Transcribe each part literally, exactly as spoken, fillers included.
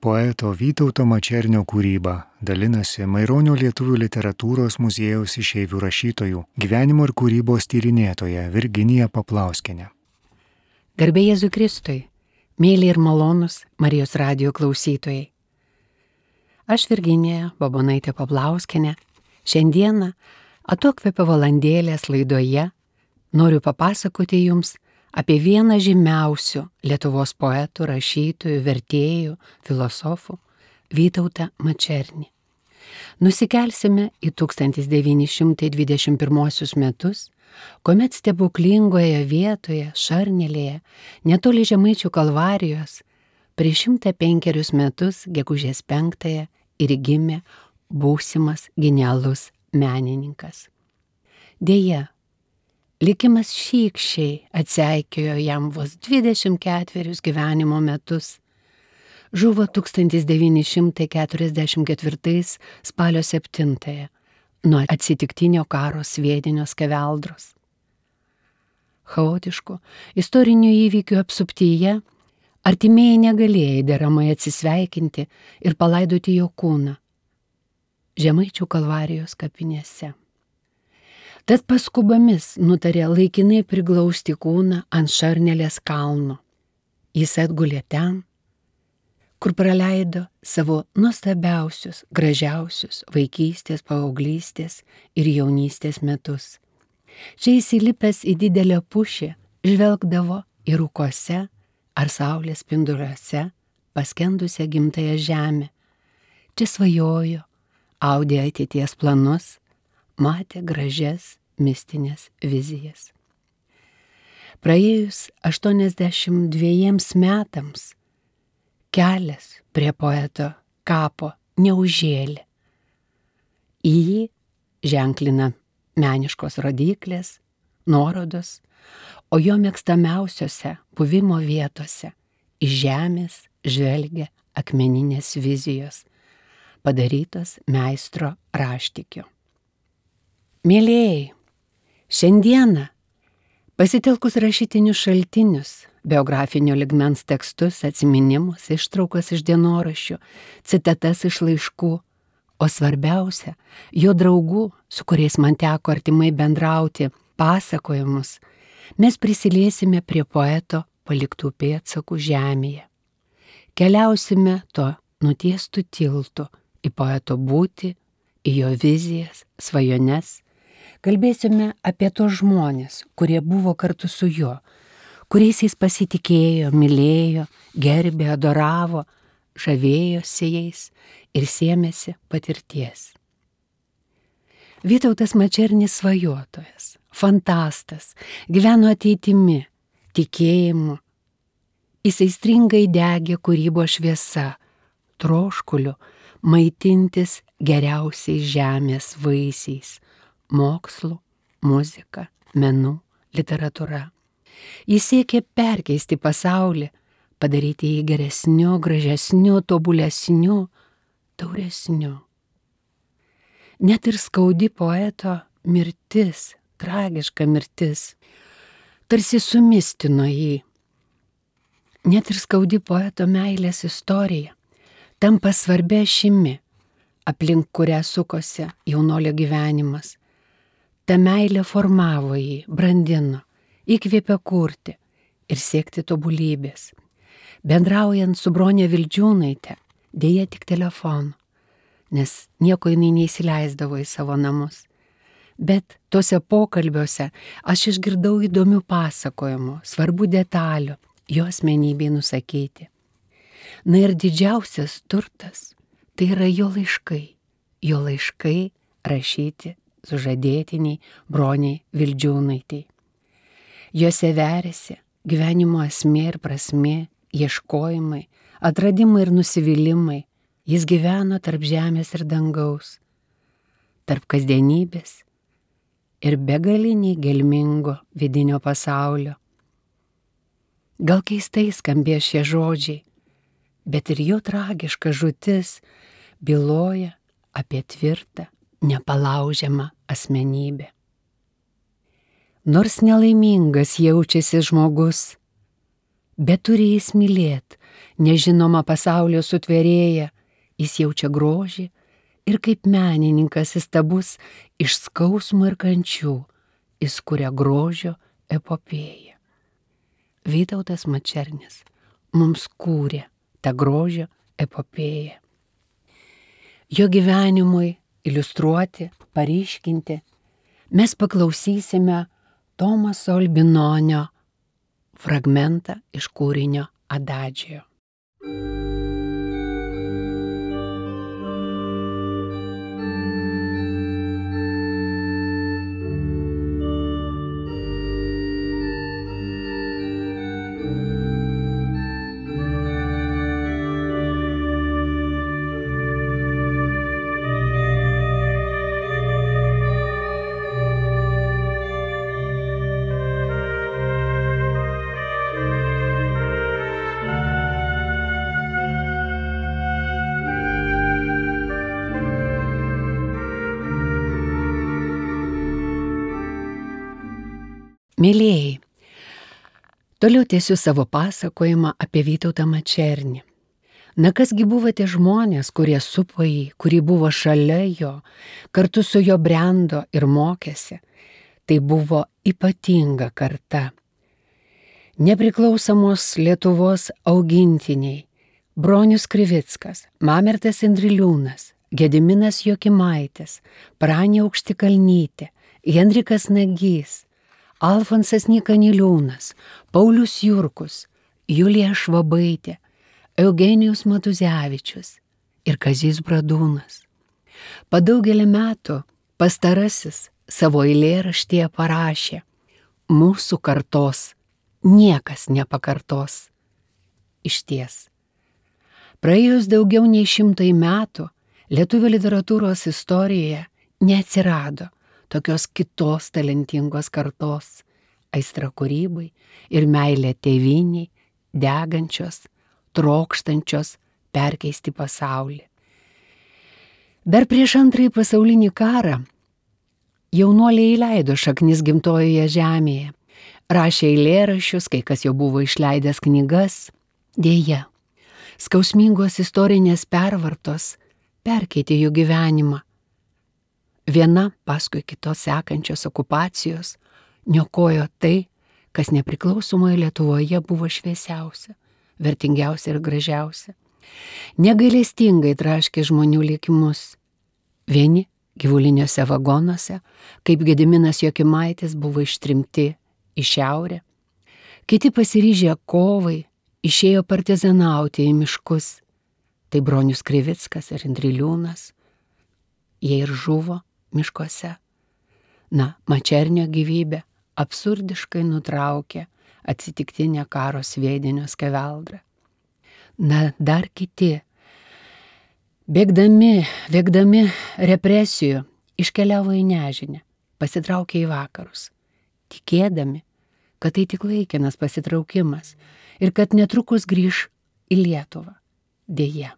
poeto Vytauto Mačernio kūryba dalinasi Maironio lietuvių literatūros muziejaus išeivių rašytojų gyvenimo ir kūrybos tyrinėtoja Virginija Paplauskienė. Garbė Jėzui Kristui, mėly ir malonus Marijos radijo klausytojai. Aš Virginija Babonaitė Paplauskienė šiandieną atokvėpio valandėlės laidoje noriu papasakoti jums apie vieną žymiausių Lietuvos poetų, rašytojų, vertėjų, filosofų Vytautą Mačernį. Nusikelsime į tūkstantis devyni šimtai dvidešimt pirmuosius metus, kuomet stebuklingoje vietoje Šarnelėje, netoli Žemaičių Kalvarijos, prieš šimtą penkerius metus, gegužės penktąją, ir gimė būsimas genialus menininkas. Deja, likimas šykščiai atseikėjo jam vos dvidešimt ketverius gyvenimo metus. Žuvo tūkstantis devyni šimtai keturiasdešimt ketvirtais spalio septintąją nuo atsitiktinio karo sviedinio skeveldros. Chaotiškų istorinių įvykių apsuptyje artimieji negalėjo deramai atsisveikinti ir palaidoti jo kūną Žemaičių Kalvarijos kapinėse. Tad paskubomis nutarė laikinai priglausti kūną ant Šarnelės kalno. Jis atgulė ten, kur praleido savo nuostabiausius, gražiausius vaikystės, paauglystės ir jaunystės metus. Čia įsilipęs į didelę pušį žvelgdavo į rūkose ar saulės spinduliuose paskendusią gimtąją žemę. Čia svajojo, audė ateities planus, matė gražias mistinės vizijas. Praėjus aštuoniasdešimt dvejiems metams kelias prie poeto kapo neužžėlė. Į jį ženklina meniškos rodyklės, nuorodos, o jo mėgstamiausiose buvimo vietose iš žemės žvelgia akmeninės vizijos, padarytos meistro raštikio. Mėlėjai, šiandieną pasitelkus rašytinius šaltinius, biografinio ligmens tekstus, atsiminimus, ištraukas iš dienoraščių, citatas iš laiškų, o svarbiausia, jo draugų, su kuriais man teko artimai bendrauti, pasakojimus, mes prisiliesime prie poeto paliktų pėdsakų žemėje. Keliausime to nutiestų tiltų į poeto būtį, į jo vizijas, svajones. Kalbėsime apie tos žmonės, kurie buvo kartu su juo, kuriais jis pasitikėjo, mylėjo, gerbė, adoravo, žavėjosi jais ir sėmėsi patirties. Vytautas Mačernis svajotojas, fantastas, gyveno ateitimi, tikėjimu. Jis aistringai degė kūrybos šviesa, troškuliu maitintis geriausiais žemės vaisiais, mokslu, muzika, menu, literatūra. Jis siekė perkeisti pasaulį, padaryti jį geresniu, gražesniu, tobulesniu, tauresniu. Net ir skaudi poeto mirtis, tragiška mirtis, tarsi sumistino jį. Net ir skaudi poeto meilės istorija tampa svarbia ašimi, aplink kurią sukosi jaunolio gyvenimas. Ta meilė formavo jį, brandino, įkvėpė kurti ir siekti tobulybės. Bendraujant su Bronė Vildžiūnaite, dėja tik telefonu, nes nieko jinai neįsileisdavo į savo namus. Bet tuose pokalbiuose aš išgirdau įdomių pasakojimų, svarbių detalių, jo asmenybei nusakyti. Na ir didžiausias turtas tai yra jo laiškai, jo laiškai rašyti sužadėtiniai Broniai Vildžiūnaitei. Jose veriasi gyvenimo esmė ir prasmė, ieškojimai, atradimai ir nusivylimai. Jis gyveno tarp žemės ir dangaus, tarp kasdienybės ir begaliniai gelmingo vidinio pasaulio. Gal keistai skambėjo šie žodžiai, bet ir jo tragiška žūtis byloja apie tvirtą, nepalaužiamą asmenybę. Nors nelaimingas jaučiasi žmogus, bet turi jis mylėt, nežinoma pasaulio sutvėrėja, jis jaučia grožį ir kaip menininkas įstabus iš skausmo ir kančių, jis kuria grožio epopėją. Vytautas Mačernis mums kūrė tą grožio epopėją. Jo gyvenimui iliustruoti, paryškinti, mes paklausysime Tomaso Albinonio fragmentą iš kūrinio Adagio. Mėlėjai, toliau tęsiu savo pasakojimą apie Vytautą Mačernį. Na kasgi buvo tie žmonės, kurie supo jį, kurie buvo šalia jo, kartu su jo brendo ir mokėsi. Tai buvo ypatinga karta. Nepriklausomos Lietuvos augintiniai Bronius Krivickas, Mamertas Indriliūnas, Gediminas Jokimaitis, Pranė Aukštikalnytė, Henrikas Nagys, Alfonsas Nyka Niliūnas, Paulius Jurkus, Julija Švabaitė, Eugenijus Matuzevičius ir Kazys Bradūnas. Po daugelį metų pastarasis savo eilėraštyje parašė: mūsų kartos niekas nepakartos. Išties, praėjus daugiau nei šimtai metų lietuvių literatūros istorijoje neatsirado tokios kitos talentingos kartos, aistra kūrybai ir meilė tėvynei, degančios, trokštančios perkeisti pasaulį. Dar prieš antrąjį pasaulinį karą jaunuoliai įleido šaknis gimtojoje žemėje, rašė eilėraščius, kai kas jau buvo išleidęs knygas. Deja, skausmingos istorinės pervartos perkeitė jų gyvenimą. Viena paskui kitos sekančios okupacijos niokojo tai, kas nepriklausomoje Lietuvoje buvo šviesiausia, vertingiausia ir gražiausia. Negailestingai traškė žmonių likimus. Vieni gyvuliniuose vagonuose, kaip Gediminas Jokimaitis, buvo ištrimti į šiaurę. Kiti pasiryžę kovai išėjo partizanauti į miškus. Tai Bronius Krivickas ir Indriliūnas. Jie ir žuvo miškuose. Na, Mačernio gyvybę absurdiškai nutraukė atsitiktinė karo sviedinio skeveldra. Na, dar kiti, bėgdami, bėgdami represijų, iškeliavo į nežinę, pasitraukė į vakarus, tikėdami, kad tai tik laikinas pasitraukimas ir kad netrukus grįš į Lietuvą. Deja.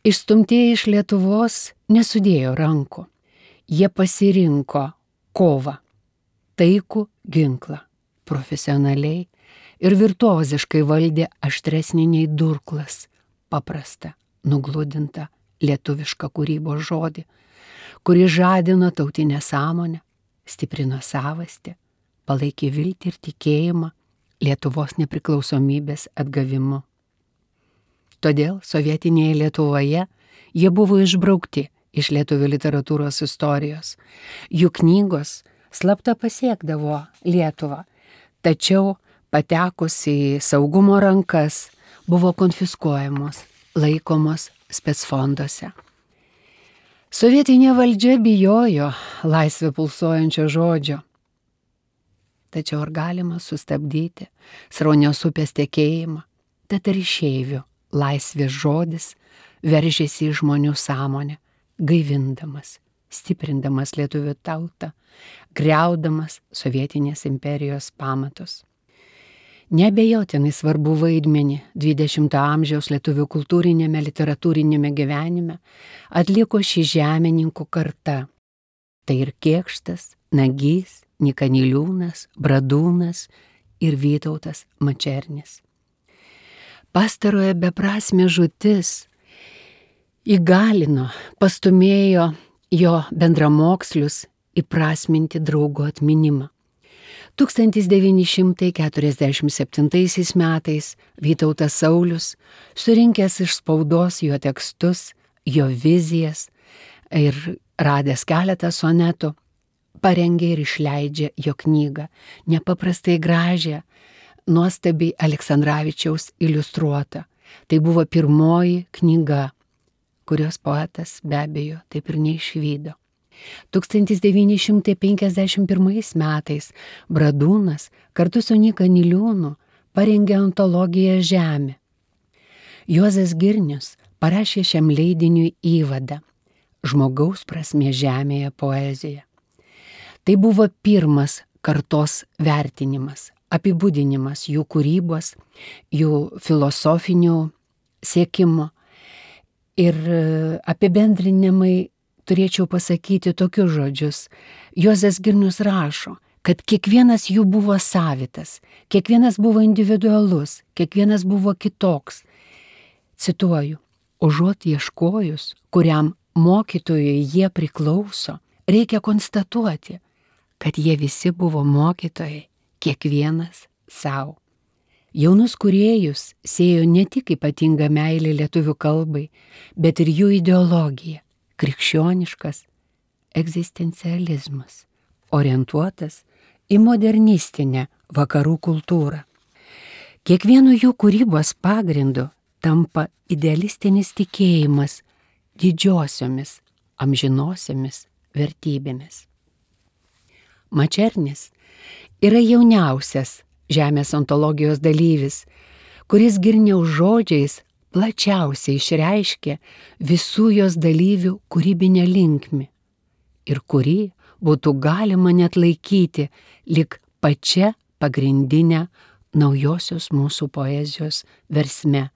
Išstumtieji iš Lietuvos nesudėjo rankų. Jie pasirinko kovą, taikų ginklą, profesionaliai ir virtuoziškai valdė aštresnį nei durklas, paprastą, nugludintą lietuvišką kūrybos žodį, kuri žadino tautinę sąmonę, stiprino savastį, palaikė viltį ir tikėjimą Lietuvos nepriklausomybės atgavimu. Todėl sovietinėje Lietuvoje jie buvo išbraukti iš lietuvių literatūros istorijos. Jų knygos slapta pasiekdavo Lietuvą, tačiau patekus į saugumo rankas buvo konfiskuojamos, laikomos specfonduose. Sovietinė valdžia bijojo laisvę pulsuojančio žodžio. Tačiau ar galima sustabdyti sraunios upės tekėjimą, tad ir išeivių laisvės žodis veržėsi į žmonių sąmonę, gaivindamas, stiprindamas lietuvių tautą, griaudamas sovietinės imperijos pamatus. Neabejotinai svarbu vaidmenį dvidešimto amžiaus lietuvių kultūrinėme, literatūrinėme gyvenime atliko ši žemininkų karta. Tai ir Kėkštas, Nagys, Nyka Niliūnas, Bradūnas, ir Vytautas Mačernis. Pastarojo beprasmė žūtis įgalino, pastumėjo jo bendramokslius įprasminti draugo atminimą. tūkstantis devyni šimtai keturiasdešimt septintaisiais metais Vytautas Saulius, surinkęs iš spaudos jo tekstus, jo vizijas ir radęs keletą sonetų, parengė ir išleidžia jo knygą, nepaprastai gražią, nuostabiai Aleksandravičiaus iliustruota. Tai buvo pirmoji knyga, kurios poetas be abejo taip ir neišvydo. tūkstantis devyni šimtai penkiasdešimt pirmais metais Bradūnas kartu su Nyka Niliūnu parengė antologiją Žemė. Juozas Girnius parašė šiam leidiniui įvadą Žmogaus prasmė žemėje poezija. Tai buvo pirmas kartos vertinimas, apibūdinimas jų kūrybos, jų filosofinių siekimo ir apibendrinimai. Turėčiau pasakyti tokius žodžius. Juozas Girnius rašo, kad kiekvienas jų buvo savitas, kiekvienas buvo individualus, kiekvienas buvo kitoks. Cituoju, užuot ieškojus, kuriam mokytojui jie priklauso, reikia konstatuoti, kad jie visi buvo mokytojai, kiekvienas savo. Jaunus kūrėjus siejo ne tik ypatinga meilė lietuvių kalbai, bet ir jų ideologija. Krikščioniškas egzistencializmas, orientuotas į modernistinę vakarų kultūrą. Kiekvienu jų kūrybos pagrindu tampa idealistinis tikėjimas didžiosiomis, amžinosiomis vertybėmis. Mačernis yra jauniausias Žemės ontologijos dalyvis, kuris Girniaus žodžiais plačiausiai išreiškė visų jos dalyvių kūrybinę linkmę ir kurį būtų galima net laikyti lyg pačia pagrindinė naujosios mūsų poezijos versme.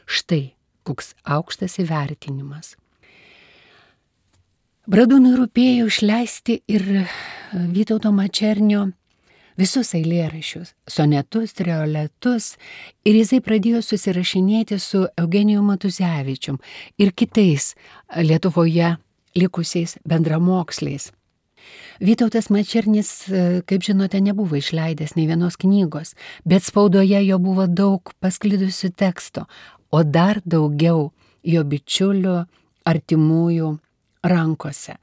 Štai koks aukštas įvertinimas. Bradūnui rūpėjo išleisti ir Vytauto Mačernio visus eilėraščius, sonetus, trioletus, ir jisai pradėjo susirašinėti su Eugenijum Matuzevičium ir kitais Lietuvoje likusiais bendramoksliais. Vytautas Mačernis, kaip žinote, nebuvo išleidęs nei vienos knygos, bet spaudoje jo buvo daug pasklidusių teksto, o dar daugiau jo bičiulių, artimųjų rankose.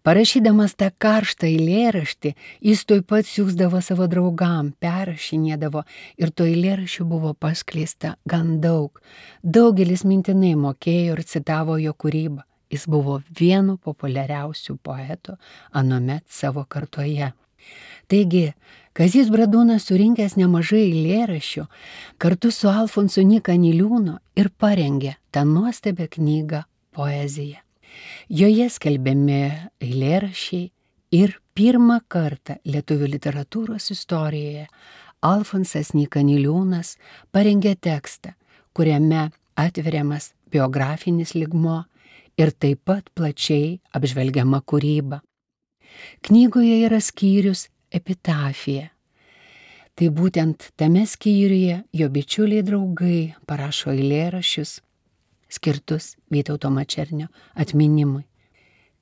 Parašydamas tą karštą eilėraštį, jis tuoj pat siųsdavo savo draugam, perrašinėdavo ir to eilėraščių buvo paskleista gan daug. Daugelis mintinai mokėjo ir citavo jo kūrybą. Jis buvo vienu populiariausių poetų anuomet savo kartoje. Taigi, Kazys Bradūnas surinkęs nemažai eilėraščių, kartu su Alfonsu Nyka Niliūnu ir parengė tą nuostabią knygą Poezija. Joje skelbiami eilėraščiai ir pirmą kartą lietuvių literatūros istorijoje Alfonsas Nyka Niliūnas parengė tekstą, kuriame atveriamas biografinis lygmuo ir taip pat plačiai apžvelgiama kūryba. Knygoje yra skyrius Epitafija. Tai būtent tame skyriuje jo bičiuliai draugai parašo eilėraščius skirtus Vytauto Mačernio atminimui.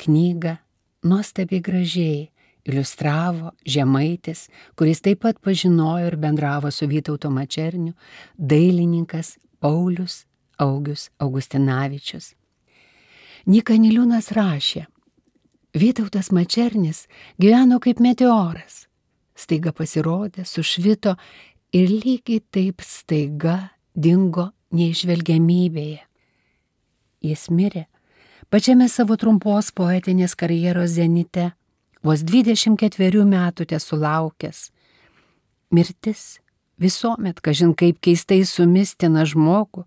Knygą nuostabiai gražiai iliustravo žemaitis, kuris taip pat pažinojo ir bendravo su Vytauto Mačerniu, dailininkas Paulius Augius Augustinavičius. Nyka Niliūnas rašė, Vytautas Mačernis gyveno kaip meteoras. Staiga pasirodė, sušvito ir lygiai taip staiga dingo neišvelgiamybėje. Jis mirė pačiame savo trumpos poetinės karjeros zenite, vos dvidešimt ketverių metų tesulaukęs. Mirtis visuomet, kažin kaip keistai sumistina žmogų,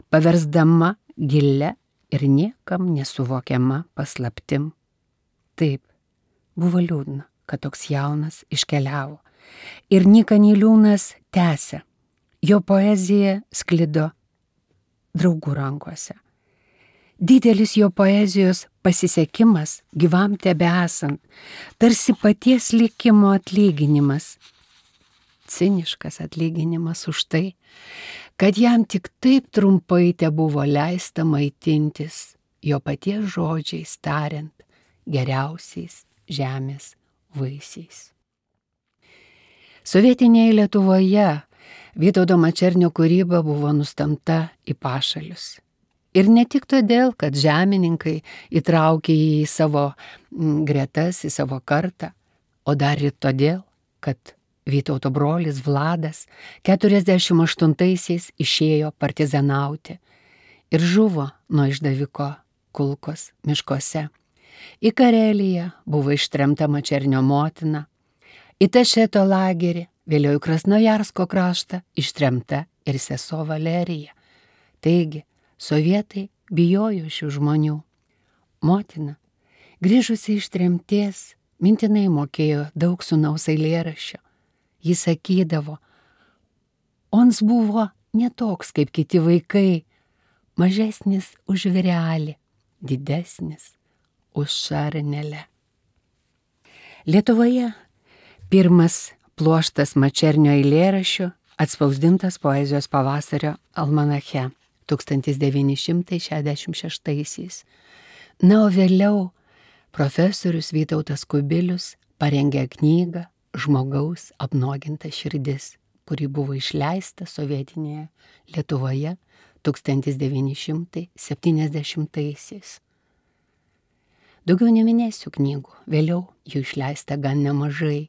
paversdama gilia ir niekam nesuvokiama paslaptim. Taip, buvo liūdna, kad toks jaunas iškeliavo. Ir Nyka Niliūnas tęsė. Jo poezija sklido draugų rankose. Didelis jo poezijos pasisekimas gyvam tebesant, tarsi paties likimo atlyginimas. ciniškas atlyginimas už tai, kad jam tik taip trumpai te buvo leista maitintis jo paties žodžiais tariant geriausiais žemės vaisiais. Sovietinėje Lietuvoje Vytauto Mačernio kūryba buvo nustamta į pašalius. Ir ne tik todėl, kad žemininkai įtraukė jį į savo gretas, į savo kartą, o dar ir todėl, kad Vytauto brolis Vladas keturiasdešimt aštuntaisiais išėjo partizanauti ir žuvo nuo išdaviko kulkos miškuose. Į Kareliją buvo ištremta Mačernio motina, į Tašeto lagerį, vėliau į Krasnojarsko kraštą ištremta ir sesuo Valerija. Taigi, sovietai bijojo šių žmonių. Motina, grįžusi iš tremties, mintinai mokėjo daug sūnaus eilėraščio. Jis sakydavo, ons buvo ne toks kaip kiti vaikai, mažesnis už vyrelį, didesnis už šarnelę. Lietuvoje pirmas pluoštas Mačernio eilėraščių atspausdintas Poezijos pavasario almanache tūkstantis devyni šimtai šešiasdešimt šeštaisiais. Na, o vėliau profesorius Vytautas Kubilius parengė knygą Žmogaus apnuoginta širdis, kuri buvo išleista sovietinėje Lietuvoje tūkstantis devyni šimtai septyniasdešimtaisiais. Daugiau neminėsiu knygų, vėliau jų išleista gan nemažai.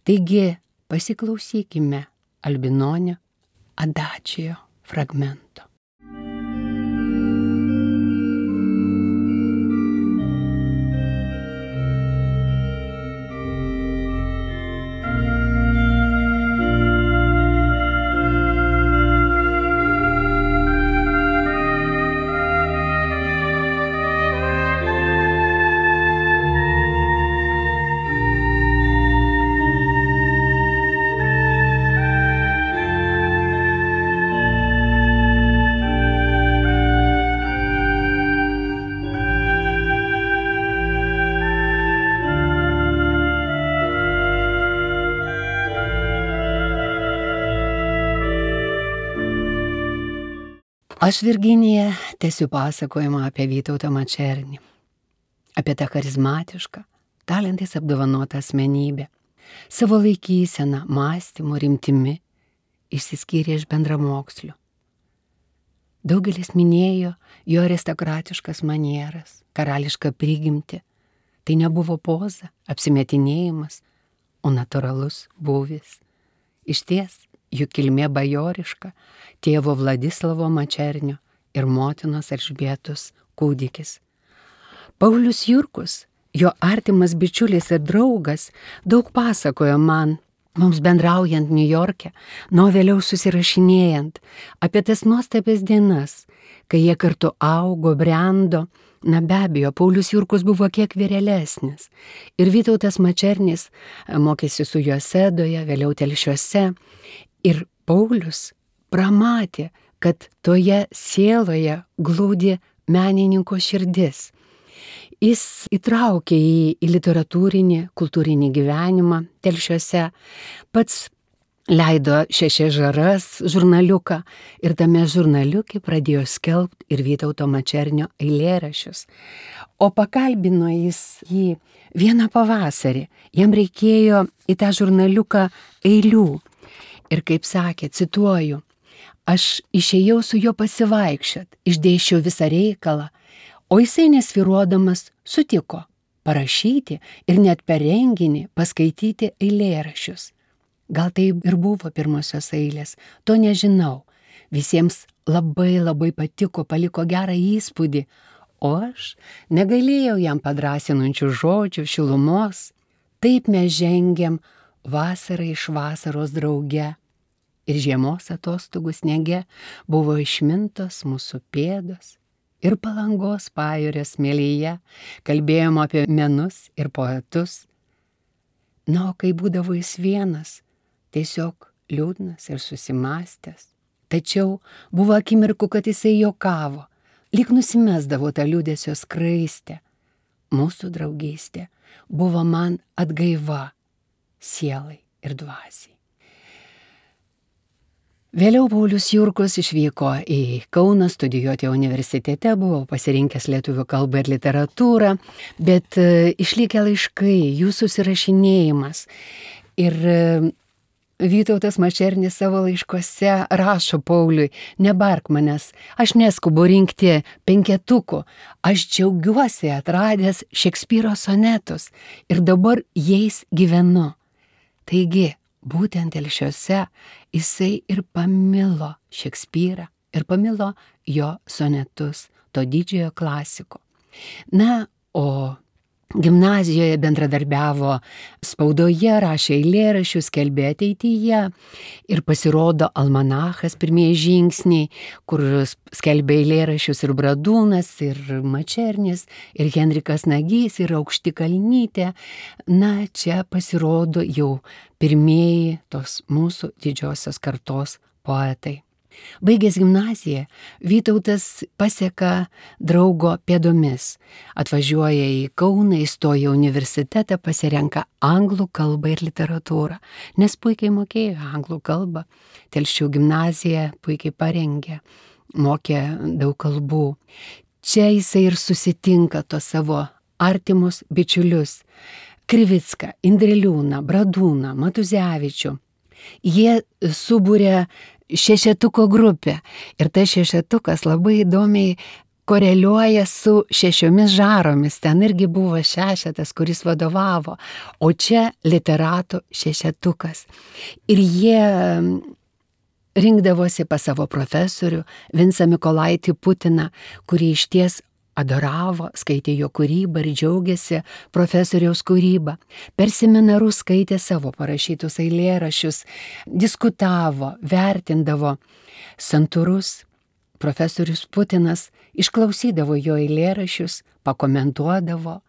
Taigi pasiklausykime Albinonio Adačijo fragmento. Aš, Virginija, tęsiu pasakojimą apie Vytautą Mačernį, apie tą charizmatišką, talentais apdovanotą asmenybę. Savo laikyseną, mąstymu, rimtimi išsiskyrė iš bendramokslių. Daugelis minėjo jo aristokratiškas manieras, karališką prigimtį. Tai nebuvo poza, apsimetinėjimas, o natūralus būvis. Išties, jų kilmė bajoriška, tėvo Vladislavo Mačernio ir motinos Elžbietos kūdikis. Paulius Jurkus, jo artimas bičiulis ir draugas, daug pasakojo man, mums bendraujant Niujorke, nuo vėliau susirašinėjant, apie tas nuostabias dienas, kai jie kartu augo, brendo. Na be abejo, Paulius Jurkus buvo kiek vyrelesnis ir Vytautas Mačernis mokėsi su juo Sedoje, vėliau Telšiuose. Ir Paulius pramatė, kad toje sieloje glūdi menininko širdis. Jis įtraukė jį į literatūrinį, kultūrinį gyvenimą Telšiuose, pats leido Šešias žaras žurnaliuką ir tame žurnaliuke pradėjo skelbti ir Vytauto Mačernio eilėraščius. O pakalbino jis jį vieną pavasarį, jam reikėjo į tą žurnaliuką eilių. Ir kaip sakė, cituoju, aš išėjau su juo pasivaikščiot, išdėsčiau visą reikalą, o jisai nesvyruodamas sutiko parašyti ir net per renginį paskaityti eilėraščius. Gal tai ir buvo pirmosios eilės, to nežinau. Visiems labai labai patiko, paliko gerą įspūdį, o aš negailėjau jam padrąsinančių žodžių, šilumos. Taip mes žengiam vasarą iš vasaros drauge. Ir žiemos atostogų sniege buvo išmintos mūsų pėdos ir Palangos pajūrio smėlyje kalbėjom apie menus ir poetus. Na, o kai būdavo jis vienas, tiesiog liūdnas ir susimastęs. Tačiau buvo akimirkų, kad jisai juokavo, lyg nusimesdavo tą liūdesio skraistę. Mūsų draugystė buvo man atgaiva sielai ir dvasiai. Vėliau Paulius Jurkus išvyko į Kauną studijuoti universitete, buvo pasirinkęs lietuvių kalbą ir literatūrą, bet išlikę laiškai, jų susirašinėjimas. Ir Vytautas Mačernis savo laiškuose rašo Pauliui: nebark manęs, aš neskubu rinkti penketukų, aš džiaugiuosi atradęs Šekspyro sonetus ir dabar jais gyvenu. Taigi, būtent telšiuose jisai ir pamilo Šekspyrą ir pamilo jo sonetus, to didžiojo klasiko. Na, o gimnazijoje bendradarbiavo spaudoje, rašė eilėraščius, skelbė ateityje ir pasirodo almanachas Pirmieji žingsniai, kur skelbė eilėraščius ir Bradūnas, ir Mačernis, ir Henrikas Nagys, ir Aukštikalnytė. Na, čia pasirodo jau pirmieji tos mūsų didžiosios kartos poetai. Baigęs gimnaziją, Vytautas paseka draugo pėdomis, atvažiuoja į Kauną, įstoja į universitetą, pasirenka anglų kalbą ir literatūrą, nes puikiai mokėjo anglų kalbą. Telšių gimnazija puikiai parengė, mokė daug kalbų. Čia jisai ir susitinka tos savo artimus bičiulius - Krivicką, Indriliūną, Bradūną, Matuzevičių. Jie subūrė šešetuko grupę ir tas šešetukas labai įdomiai koreliuoja su šešiomis žaromis. Ten irgi buvo šešetas, kuris vadovavo, o čia literatų šešetukas. Ir jie rinkdavosi pas savo profesorių Vincą Mykolaitį Putiną, kurį išties adoravo, skaitė jo kūrybą ir džiaugiasi profesoriaus kūrybą. Per seminarus skaitė savo parašytus eilėraščius, diskutavo, vertindavo. Santūrus profesorius Putinas išklausydavo jo eilėraščius, pakomentuodavo,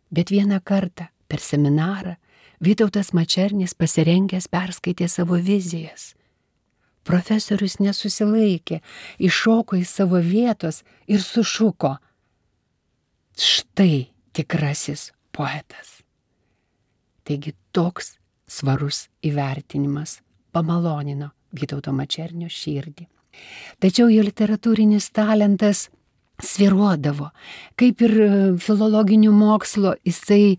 bet vieną kartą per seminarą Vytautas Mačernis pasirengęs perskaitė savo vizijas. Profesorius nesusilaikė, iššoko iš savo vietos ir sušuko: štai tikrasis poetas. Taigi toks svarus įvertinimas pamalonino Vytauto Mačernio širdį. Tačiau jo literatūrinis talentas svyruodavo, kaip ir filologinių mokslo, jisai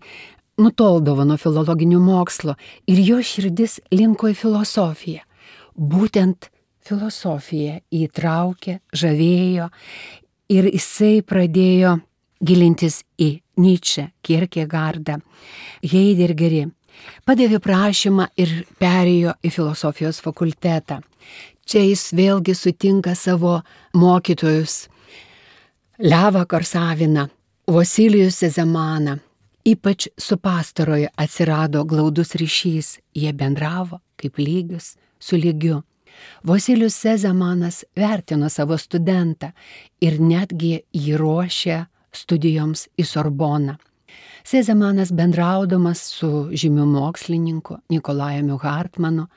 nutoldavo nuo filologinių mokslo ir jo širdis linko į filosofiją. Būtent filosofija įtraukė, žavėjo ir jisai pradėjo gilintis į Nyčę, Kierkegaardą, Heidegerį. Padavė prašymą ir perėjo į filosofijos fakultetą. Čia jis vėlgi sutinka savo mokytojus Levą Korsaviną, Vasilijų Sezemaną. Ypač su pastaroju atsirado glaudus ryšys, jie bendravo kaip lygius su lygiu. Vasilijus Sezemanas vertino savo studentą ir netgi jį ruošė studijoms į Sorboną. Sezemanas bendraudamas su žymiu mokslininku Nikolajumi Hartmanu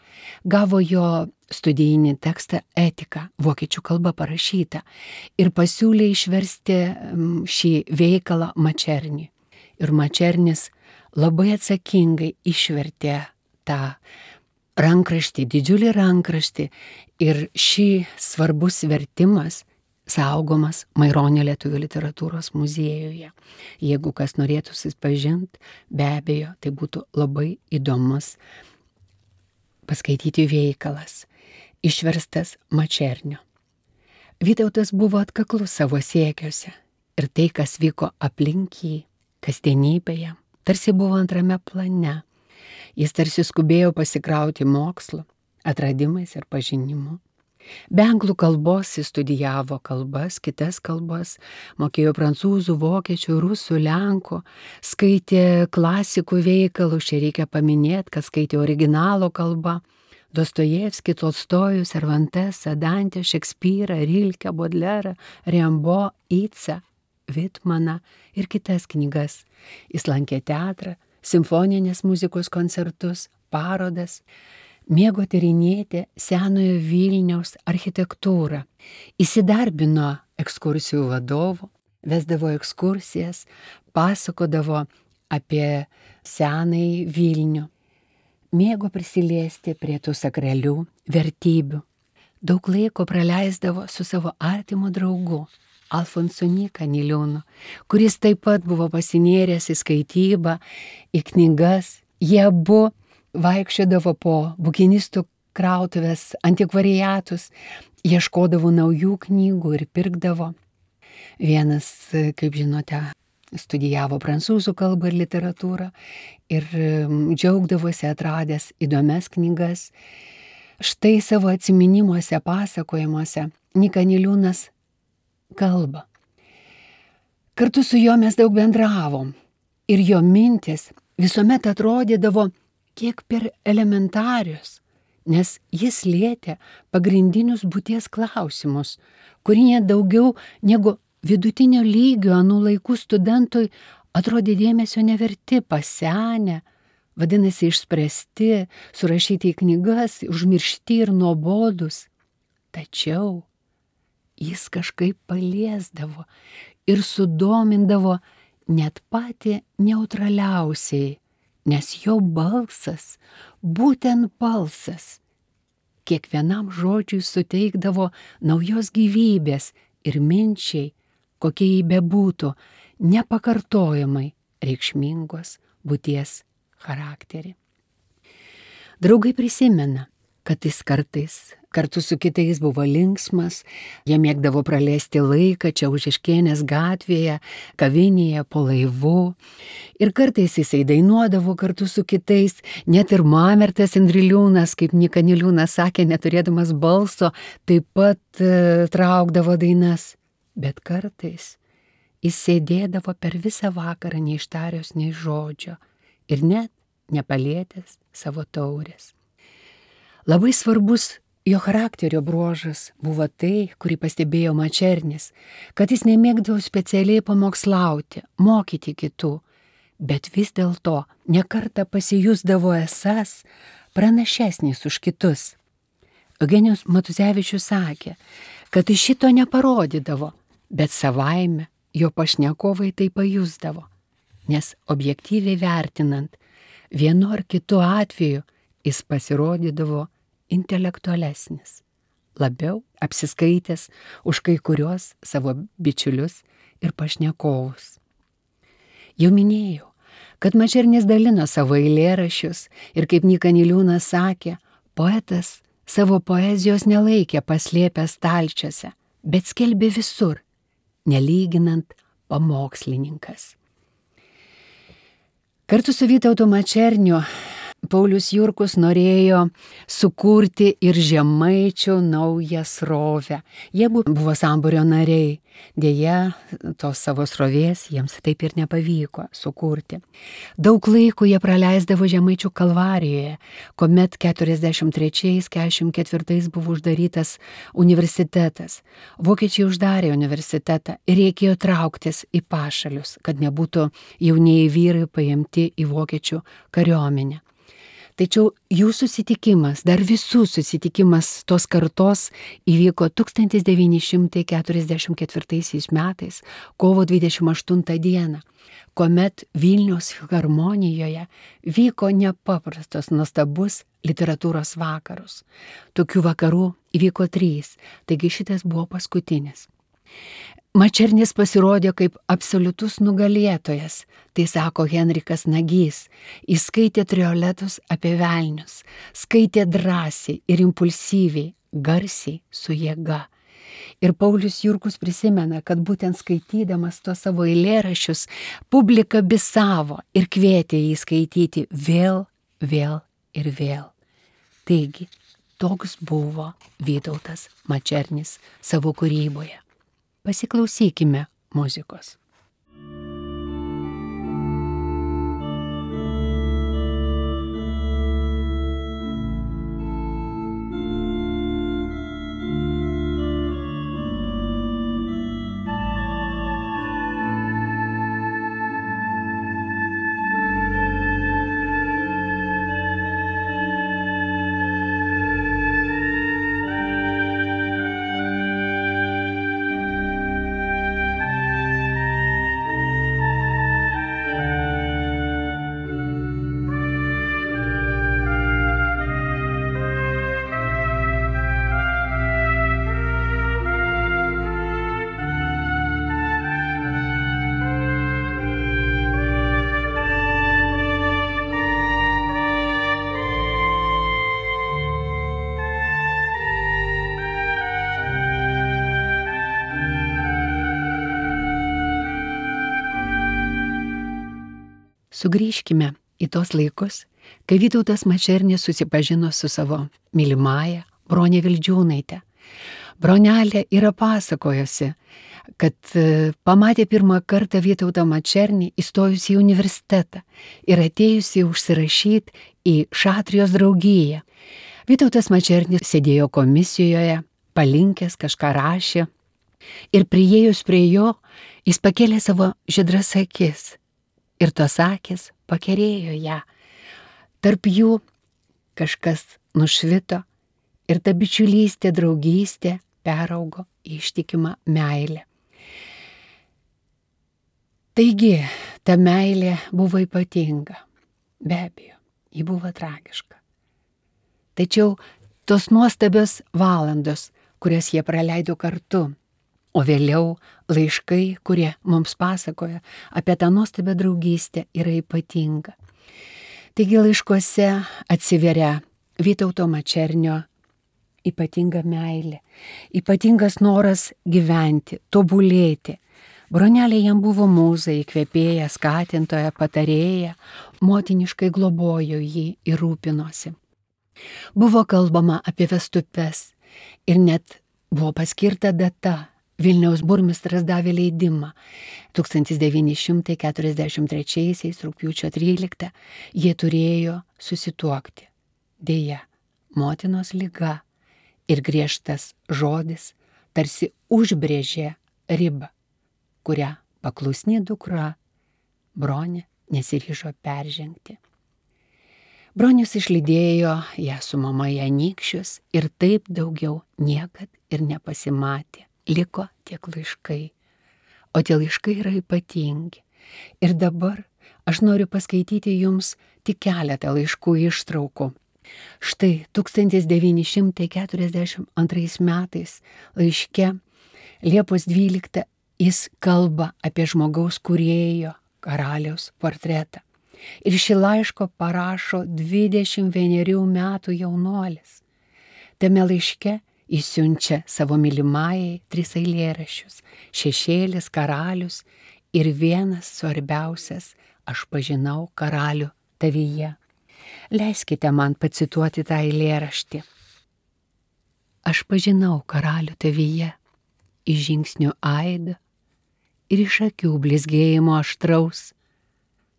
gavo jo studijinį tekstą Etiką, vokiečių kalba parašytą, ir pasiūlė išversti šį veikalą Mačerniui. Ir Mačernis labai atsakingai išvertė tą rankraštį, didžiulį rankraštį, ir šį svarbus vertimas saugomas Maironio lietuvių literatūros muziejuje. Jeigu kas norėtų susipažinti, be abejo, tai būtų labai įdomus paskaityti veikalas, išverstas Mačernio. Vytautas buvo atkaklus savo siekiuose ir tai, kas vyko aplink jį, kasdienybėje, tarsi buvo antrame plane. Jis tarsi skubėjo pasikrauti mokslu, atradimais ir pažinimu. Be anglų kalbos jis studijavo kalbas, kitas kalbas, mokėjo prancūzų, vokiečių, rusų, lenkų, skaitė klasikų veikalus, čia reikia paminėti, kad skaitė originalo kalbą, Dostojevskį, Tolstojų, Cervantesą, Dantę, Šekspyrą, Rilkę, Bodlerą, Rimbo, Icą, Vitmaną ir kitas knygas. Jis lankė teatrą, simfoninės muzikos koncertus, parodas. Mėgo tyrinėti senojo Vilniaus architektūrą. Įsidarbino ekskursijų vadovu, vesdavo ekskursijas, pasakodavo apie senąjį Vilnių. Mėgo prisiliesti prie tų sakralių vertybių. daug laiko praleisdavo su savo artimu draugu Alfonsu Nyka Niliūnu, kuris taip pat buvo pasinėręs į skaitybą, į knygas. Jie abu vaikščiodavo po bukinistų krautuvės antikvariatus, ieškodavo naujų knygų ir pirkdavo. Vienas, kaip žinote, studijavo prancūzų kalbą ir literatūrą ir džiaugdavosi atradęs įdomias knygas. Štai savo atsiminimuose, pasakojimuose Nyka Niliūnas kalba. Kartu su juo mes daug bendravom ir jo mintis visuomet atrodydavo kiek per elementarius, nes jis lietė pagrindinius būties klausimus, kurie daugiau negu vidutinio lygio anų laikų studentui atrodė dėmesio neverti, pasenę, vadinasi išspręsti, surašyti į knygas, užmiršti ir nuobodus. Tačiau jis kažkaip paliesdavo ir sudomindavo net patį neutraliausiai, nes jo balsas, būtent balsas, kiekvienam žodžiui suteikdavo naujos gyvybės ir minčiai, kokie jį bebūtų, nepakartojamai reikšmingos būties charakterį. Draugai prisimena, kad jis kartais kartu su kitais buvo linksmas, jie mėgdavo praleisti laiką čia Užeškienės gatvėje, kavinėje, po laivu. Ir kartais jisai dainuodavo kartu su kitais, net ir Mamertas Indriliūnas, kaip Nyka Niliūnas sakė, neturėdamas balso, taip pat e, traukdavo dainas. Bet kartais jis sėdėdavo per visą vakarą neištarios nei žodžio ir net nepalietęs savo taurės. Labai svarbus jo charakterio bruožas buvo tai, kurį pastebėjo Mačernis, kad jis nemėgdavo specialiai pamokslauti, mokyti kitų, bet vis dėlto nekartą pasijusdavo esąs pranašesnis už kitus. Eugenijus Matuzevičius sakė, kad iš šito neparodydavo, bet savaime jo pašnekovai tai pajusdavo, nes objektyviai vertinant, vienu ar kitu atveju jis pasirodydavo intelektualesnis, labiau apsiskaitęs už kai kurios savo bičiulius ir pašnekovus. Jau minėjau, kad Mačernis dalino savo eilėraščius ir kaip Nyka Niliūnas sakė, poetas savo poezijos nelaikė paslėpęs stalčiuose, bet skelbė visur, nelyginant pamokslininkas. Kartu su Vytautu Mačerniu Paulius Jurkus norėjo sukurti ir žemaičių naują srovę. Jie buvo sambūrio nariai, deja, tos savo srovės jiems taip ir nepavyko sukurti. Daug laiko jie praleisdavo Žemaičių Kalvarijoje, kuomet keturiasdešimt trečiais keturiasdešimt ketvirtais buvo uždarytas universitetas. Vokiečiai uždarė universitetą ir reikėjo trauktis į pašalius, kad nebūtų jaunieji vyrai paimti į vokiečių kariuomenę. Tačiau jų susitikimas, dar visų susitikimas tos kartos įvyko tūkstantis devyni šimtai keturiasdešimt ketvirtaisiais metais, kovo dvidešimt aštuntą dieną, kuomet Vilniaus filharmonijoje vyko nepaprastas nuostabus literatūros vakarus. Tokių vakarų įvyko trys, taigi šitas buvo paskutinis. Mačernis pasirodė kaip absoliutus nugalėtojas, tai sako Henrikas Nagys. Jis skaitė trioletus apie velnius, skaitė drąsiai ir impulsyviai, garsiai, su jėga. Ir Paulius Jurkus prisimena, kad būtent skaitydamas tos savo eilėraščius, publika bisavo ir kvietė jį skaityti vėl, vėl ir vėl. Taigi, toks buvo Vytautas Mačernis savo kūryboje. Pasiklausykime muzikos. Thank you. Sugrįžkime į tos laikus, kai Vytautas Mačernis susipažino su savo mylimąja Brone Vildžiūnaite. Bronelė yra pasakojusi, kad pamatė pirmą kartą Vytautą Mačernį įstojusį į universitetą ir atėjusi užsirašyti į Šatrijos draugiją. Vytautas Mačernis sėdėjo komisijoje, palinkęs kažką rašė ir priėjus prie jo, jis pakėlė savo žydras akis ir tos akis pakerėjo ją. Tarp jų kažkas nušvito ir ta bičiulystė, draugystė peraugo į ištikimą meilę. Taigi, ta meilė buvo ypatinga. Be abejo, ji buvo tragiška. Tačiau tos nuostabios valandos, kurias jie praleido kartu, o vėliau laiškai, kurie mums pasakoja apie tą nuostabią draugystę, yra ypatinga. Taigi laiškuose atsiveria Vytauto Mačernio ypatinga meilė, ypatingas noras gyventi, tobulėti. Bronelė jam buvo mūza, įkvėpėja, skatintoja, patarėja, motiniškai globojo jį ir rūpinosi. Buvo kalbama apie vestupes ir net buvo paskirta data. Vilniaus burmistras davė leidimą. tūkstantis devyni šimtai keturiasdešimt trečiaisiais rugpjūčio tryliktą jie turėjo susituokti. Deja, motinos liga ir griežtas žodis tarsi užbrėžė ribą, kurią paklusni dukra Bronė nesiryžo peržengti. Bronius išlydėjo ją su mama į Anykščius ir taip daugiau niekad ir nepasimatė. Liko tiek laiškai, o tie laiškai yra ypatingi. Ir dabar aš noriu paskaityti jums tik keletą laiškų ištraukų. Štai tūkstantis devyni šimtai keturiasdešimt antrais metais laiške Liepos dvyliktą jis kalba apie žmogaus kūrėjo karaliaus portretą. Ir šį laišką parašo dvidešimt vienerių metų jaunuolis. Tame laiške jis siunčia savo mylimajai tris eilėraščius – Šešėlis, Karalius ir vienas svarbiausias – Aš pažinau karalių tavyje. Leiskite man pacituoti tą eilėraštį. Aš pažinau karalių tavyje, iš žingsnių aidą ir iš akių blizgėjimo aštraus,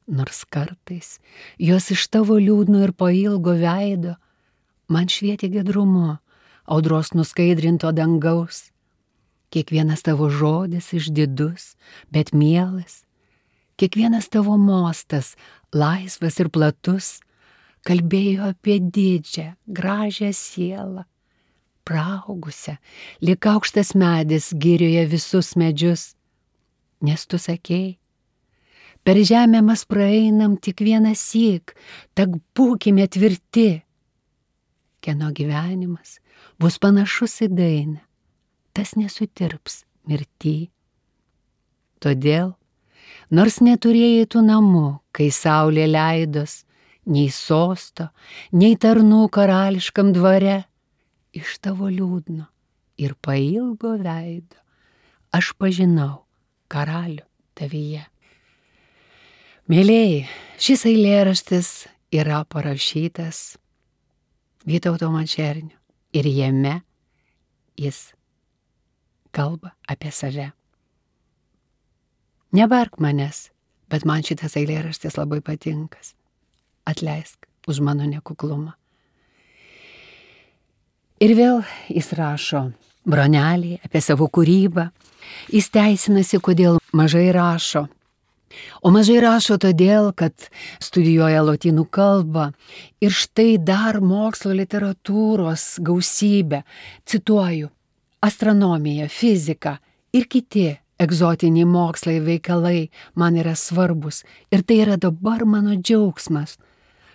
nors kartais jos iš tavo liūdno ir pailgo veido man švietė gedrumu audros nuskaidrinto dangaus. Kiekvienas tavo žodis išdidus, bet mielas, kiekvienas tavo mostas, laisvas ir platus, kalbėjo apie didžią, gražią sielą, praaugusią, lyg aukštas medis girioje visus medžius. Nes tu sakei, per žemę mes praeinam tik vieną syk, tak būkime tvirti. Kieno gyvenimas bus panašus į dainą, tas nesutirps mirty. Todėl, nors neturėjai tų namų, kai saulė leidos, nei sosto, nei tarnų karališkam dvare, iš tavo liūdno ir pailgo veido aš pažinau karalių tavyje. Mėlėjai, šis eilėraštis yra parašytas Vytauto Mačernio ir jame jis kalba apie save. Nebark manęs, bet man šitas eilėraštis labai patinkas. Atleisk už mano nekuklumą. Ir vėl jis rašo Bronelį apie savo kūrybą. Jis teisinasi, kodėl mažai rašo. O mažai rašo todėl, kad studijuoja lotynų kalbą ir štai dar mokslo literatūros gausybė. Cituoju, astronomija, fizika ir kiti egzotiniai mokslai veikalai man yra svarbus ir tai yra dabar mano džiaugsmas.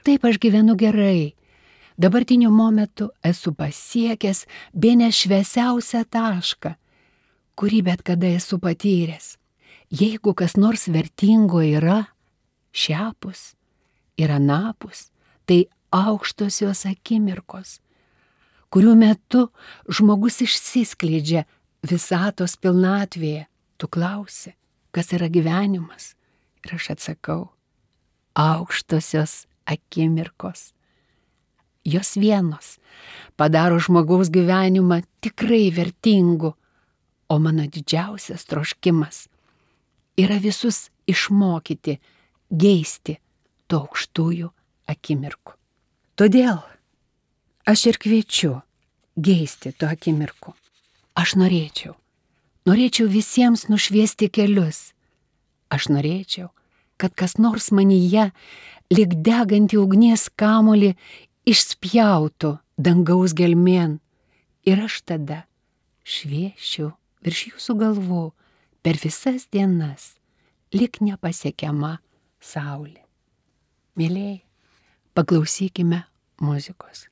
Taip aš gyvenu gerai. Dabartiniu momentu esu pasiekęs bene šviesiausią tašką, kurį bet kada esu patyręs. Jeigu kas nors vertingo yra šiapus ir anapus, tai aukštosios akimirkos, kurių metu žmogus išsiskleidžia visatos pilnatvėje. Tu klausi, kas yra gyvenimas? Ir aš atsakau, aukštosios akimirkos. Jos vienos padaro žmogaus gyvenimą tikrai vertingu, o mano didžiausias troškimas yra visus išmokyti geisti tų aukštųjų akimirkų. Todėl aš ir kviečiu geisti tų akimirkų. Aš norėčiau, norėčiau visiems nušviesti kelius. Aš norėčiau, kad kas nors manyje, lyg degantį ugnies kamuolį, išspjautų dangaus gelmėn ir aš tada šviesčiau virš jūsų galvų per visas dienas, lyg nepasiekiama saulė. Mėlėjai, paklausykime muzikos.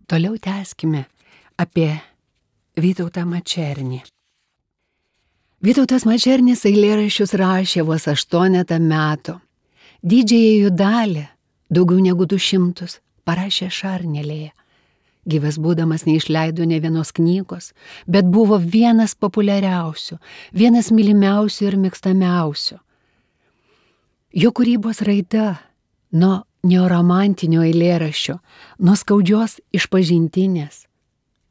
Toliau tęskime apie Vytautą Mačernį. Vytautas Mačernis eilėraščius rašė vos aštuonetą metų. Didžiąją jų dalį, daugiau negu du šimtus, parašė Šarnelėje. Gyvas būdamas neišleido ne vienos knygos, bet buvo vienas populiariausių, vienas mylimiausių ir mėgstamiausių. Jo kūrybos raida nuo neoromantinio eilėraščio, nuo skaudžios išpažintinės,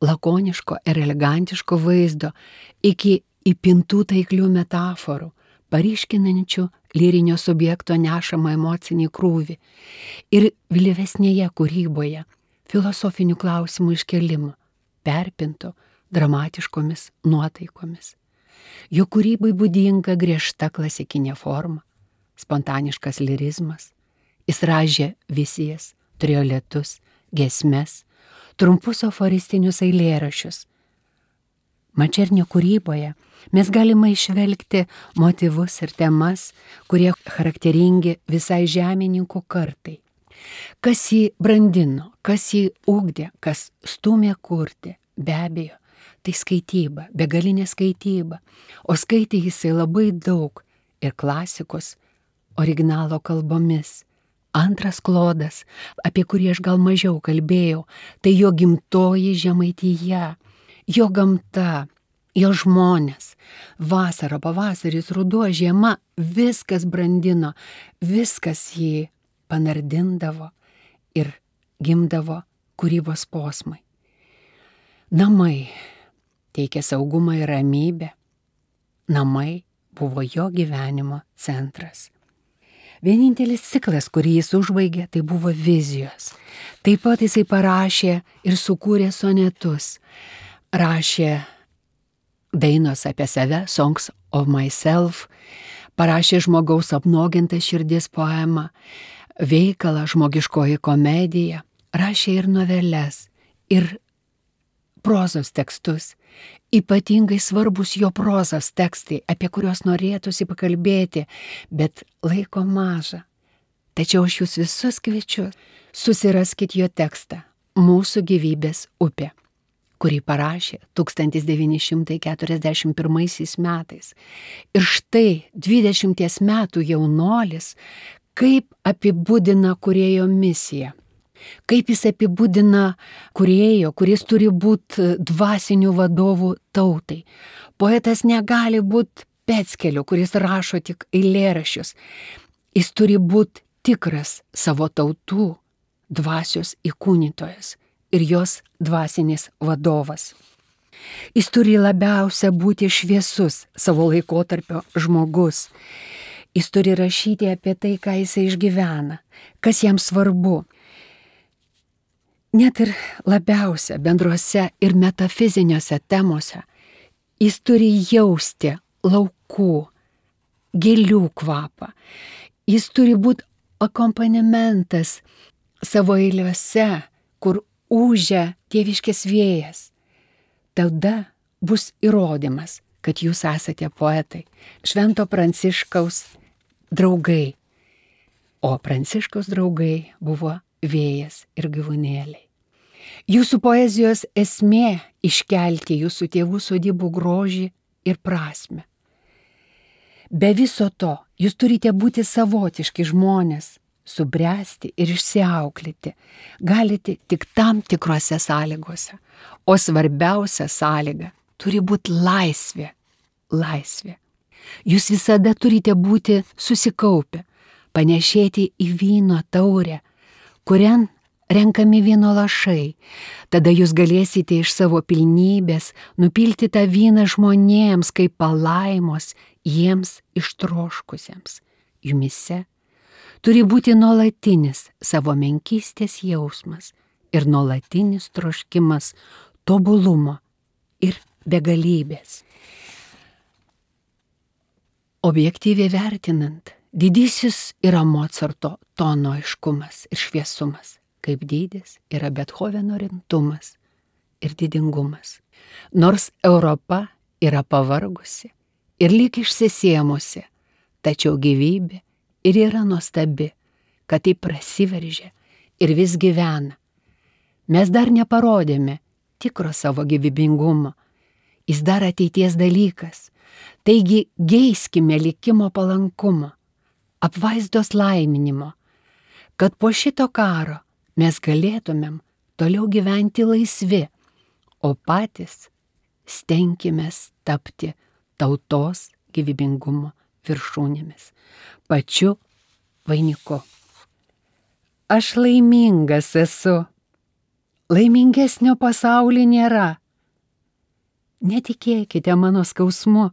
lakoniško ir elegantiško vaizdo iki įpintų taiklių metaforų, paryškinančių lyrinio subjekto nešamą emocinį krūvį ir vėlyvesnėje kūryboje filosofinių klausimų iškėlimų, perpintų dramatiškomis nuotaikomis. Jo kūrybai būdinga griežta klasikinė forma, spontaniškas lirizmas. Jis ražė vizijas, trioletus, giesmes, trumpus aforistinius eilėraščius. Mačernio kūryboje mes galime išvelgti motyvus ir temas, kurie charakteringi visai žemininkų kartai. Kas jį brandino, kas jį ugdė, kas stūmė kurti, be abejo, tai skaityba, begalinė skaityba, o skaitė jisai labai daug ir klasikos, originalo kalbomis. Antras klodas, apie kurį aš gal mažiau kalbėjau, tai jo gimtoji Žemaitija, jo gamta, jo žmonės, vasara, pavasaris, ruduo, žiema, viskas brandino, viskas jį panardindavo ir gimdavo kūrybos posmai. Namai teikė saugumą ir ramybę, namai buvo jo gyvenimo centras. Vienintelis ciklas, kurį jis užbaigė, tai buvo vizijos. Taip pat jisai parašė ir sukūrė sonetus. Rašė dainos apie save, Songs of Myself, parašė žmogaus apnuogintą širdis poemą, veikalą žmogiškoji komedija, rašė ir noveles, ir prozos tekstus. Ypatingai svarbus jo prozos tekstai, apie kuriuos norėtųsi pakalbėti, bet laiko maža. Tačiau aš jūs visus kviečiu, susiraskit jo tekstą Mūsų gyvybės upė, kurį parašė tūkstantis devyni šimtai keturiasdešimt pirmaisiais metais. Ir štai dvidešimties metų jaunolis, kaip apibūdina kūrėjo misiją. Kaip jis apibūdina kūrėjo, kuris turi būti dvasinių vadovų tautai. Poetas negali būti peckeliu, kuris rašo tik eilėraščius. Jis turi būti tikras savo tautų dvasios įkūnytojas ir jos dvasinis vadovas. Jis turi labiausia būti šviesus savo laikotarpio žmogus. Jis turi rašyti apie tai, ką jisai išgyvena, kas jam svarbu. Net ir labiausia bendruose ir metafiziniuose temose jis turi jausti laukų, gėlių kvapą. Jis turi būti akompanimentas savo eiliuose, kur ūžia tėviškės vėjas. Tada bus įrodymas, kad jūs esate poetai, Švento Pranciškaus draugai. o Pranciškaus draugai buvo vėjas ir gyvūnėliai. Jūsų poezijos esmė iškelti jūsų tėvų sodybų grožį ir prasmę. Be viso to, jūs turite būti savotiški žmonės, subręsti ir išsiauklėti. Galite tik tam tikrose sąlygose. O svarbiausia sąlyga turi būti laisvė. Laisvė. Jūs visada turite būti susikaupę, panešėti į vyno taurę, kurian renkami vyno lašai. Tada jūs galėsite iš savo pilnybės nupilti tą vyną žmonėms kaip palaimos jiems ištroškusiems. Jumise turi būti nuolatinis savo menkystės jausmas ir nuolatinis troškimas tobulumo ir begalybės. Objektyviai vertinant, didysis yra Mocarto tono aiškumas ir šviesumas, kaip dydis yra Bethoveno rimtumas ir didingumas. Nors Europa yra pavargusi ir lyg išsisėmusi, tačiau gyvybė ir yra nuostabi, kad tai prasiveržia ir vis gyvena. Mes dar neparodėme tikro savo gyvybingumo, jis dar ateities dalykas, taigi geiskime likimo palankumo, apvaizdos laiminimo, kad po šito karo mes galėtumėm toliau gyventi laisvi, o patys stenkimės tapti tautos gyvybingumo viršūnėmis, pačiu vainiku. Aš laimingas esu, laimingesnio pasaulyje nėra. Netikėkite mano skausmu,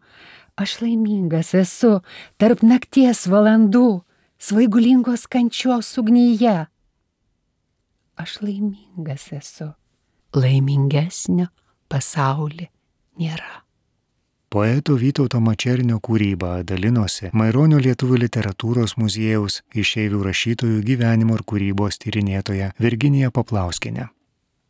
aš laimingas esu tarp nakties valandų, svaigulingos kančios ugnyje. Aš laimingas esu, laimingesnio pasaulyje nėra. Poeto Vytauto Mačernio kūrybą dalinosi Maironio lietuvių literatūros muziejaus išeivių rašytojų gyvenimo ir kūrybos tyrinėtoja Virginija Paplauskienė.